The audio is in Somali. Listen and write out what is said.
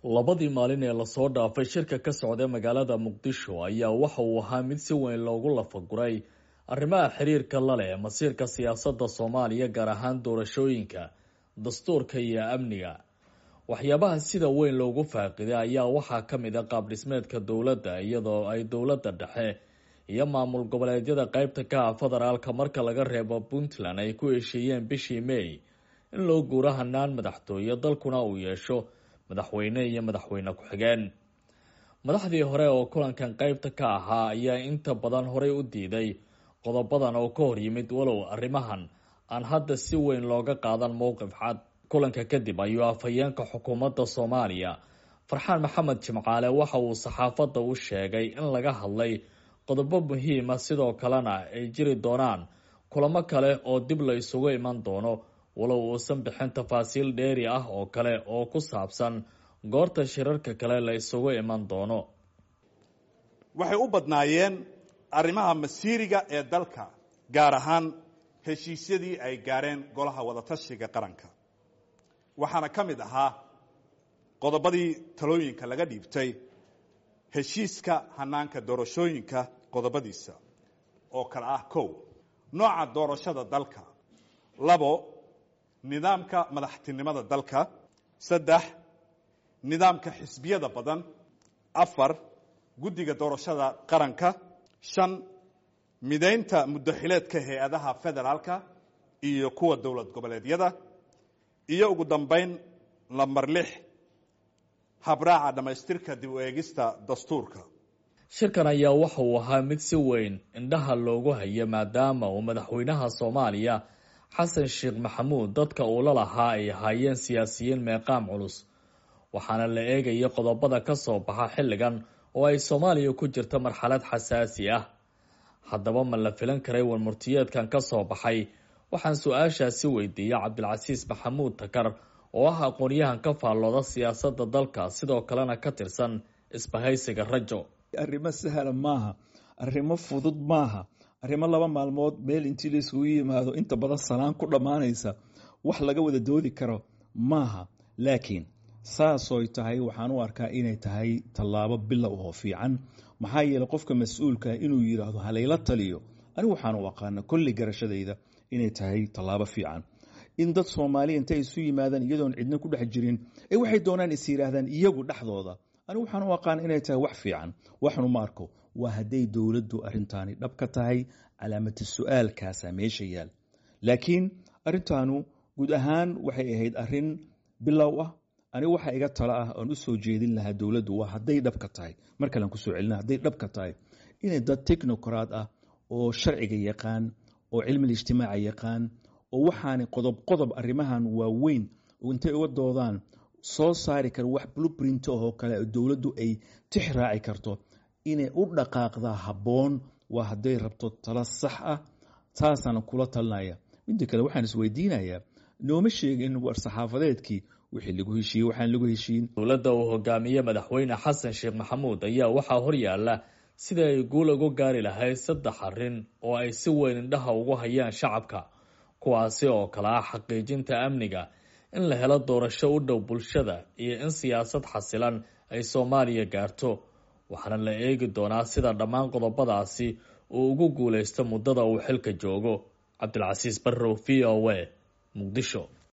Labadii maalin ee lasoo dhaafay shirka ka socda magaalada Muqdisho ayaa waxa uu ahaa mid si weyn loogu lafaguray arrimaha xiriirka la leh masiirka siyaasadda Soomaaliya, gaar ahaan doorashooyinka, dastuurka iyo amniga. Waxyaabaha sida weyn loogu faaqiday ayaa waxaa ka mid ah qaab dhismeedka dowladda, iyadoo ay dowladda dhexe iyo maamul goboleedyada qaybta ka ah federaalka marka laga reebo Puntland ay ku heshiiyeen bishii May in loo guuro hanaan madaxtooye, dalkuna uu yeesho madaxweyne iyo madaxweyne ku-xigeen. Madaxdii hore oo kulankan qaybta ka ahaa ayaa inta badan horey u diiday qodobadan oo ka hor yimid, walow arrimahan aan hadda si weyn looga qaadan mowqif cad. Kulanka kadib ayuu afhayeenka xukuumadda Soomaaliya Farxaan Maxamed Jimcaale waxa uu saxaafadda u sheegay in laga hadlay qodobo muhiima, sidoo kalena ay jiri doonaan kulamo kale oo dib la isugu iman doono, walow uusan bixin tafaasiil dheeri ah oo kale oo ku saabsan goorta shirarka kale la isugu iman doono. Waxay u badnaayeen arrimaha masiiriga ee dalka, gaar ahaan heshiisyadii ay gaareen golaha wadatashiga qaranka. Waxaana ka mid ahaa qodobadii talooyinka laga dhiibtay heshiiska hanaanka doorashooyinka qodobadiisa oo kale ah: 1, nooca doorashada dalka; 2, nidaamka madaxtinimada dalka; 3, nidaamka xisbiyada badan; 4, guddiga doorashada qaranka; 5, midaynta muddaxileedka hay-adaha federaalka iyo kuwa dowlad goboleedyada; iyo ugu dambayn lambar 6, habraaca dhammaystirka dib u eegista dastuurka. Shirkan ayaa waxa uu ahaa mid si weyn indhaha loogu hayo, maadaama uu madaxweynaha Soomaaliya Xasan Sheekh Maxamuud dadka uu la lahaa ay ahaayeen siyaasiyiin meeqaam culus, waxaana la eegaya qodobada ka soo baxa xilligan oo ay Soomaaliya ku jirto marxalad xasaasi ah. Haddaba ma la filan karay warmurtiyeedkan ka soo baxay? Waxaan su-aashaasi weydiiyey Cabdilcasiis Maxamuud Takar oo ah aqoon-yahan ka faallooda siyaasadda dalka, sidoo kalena ka tirsan isbahaysiga Rajo. Arrimo sahla maaha, arrimo fudud maaha, arrimo 2 maalmood meel intii la isugu yimaado inta badan salaan ku dhammaanaysa wax laga wada doodi karo maaha. Laakiin saasooy tahay, waxaan u arkaa inay tahay tallaabo bilow oo fiican. Maxaa yeeley, qofka mas-uulka inuu yidhaahdo halayla taliyo, anigu waxaan u aqaana kolli garashadayda inay tahay tallaabo fiican. In dad Soomaaliya intay isu yimaadaan iyadoon cidna ku dhex jirin ee waxay doonaan is yidhaahdaan iyagu dhexdooda, anigu waxaan u aqaana inay tahay wax fiican. Waxnu ma arko waa hadday dowladdu arrintaani dhab ka tahay, calaamatu su-aalkaasaa meesha yaal. Laakiin arrintaanu guud ahaan waxay ahayd arrin bilow ah. Anigu waxa iga talo ah oon u soo jeedin lahaa dowladdu waa hadday dhab ka tahay, mar kalean kusoo celina, hadday dhab ka tahay inay dad technocrat ah oo sharciga yaqaan oo cilmil ijtimaaca yaqaan oo waxaani qodob qodob arrimahan waaweyn intay uga doodaan soo saari kara wax blueprint oo kale oo dowladdu ay tix raaci karto, inay u dhaqaaqdaa habboon, waa hadday rabto talo sax ah. Taasaan kula talinaya. Midda kale, waxaan isweydiinayaa, nooma sheegin war saxaafadeedkii wixii lagu heshiiyey, waxaan lagu heshiin. Dowladda uu hogaamiye madaxweyne Xasan Sheekh Maxamuud ayaa waxaa horyaala sida ay guul ugu gaari lahayd 3 arrin oo ay si weyn indhaha ugu hayaan shacabka, kuwaasi oo kale ah xaqiijinta amniga, in la helo doorasho u dhow bulshada iyo in siyaasad xasilan ay Soomaaliya gaarto. Waxaana la eegi doonaa sida dhammaan qodobadaasi uu ugu guuleysto muddada uu xilka joogo. Cabdilcasiis Barrow, V O A, Muqdisho.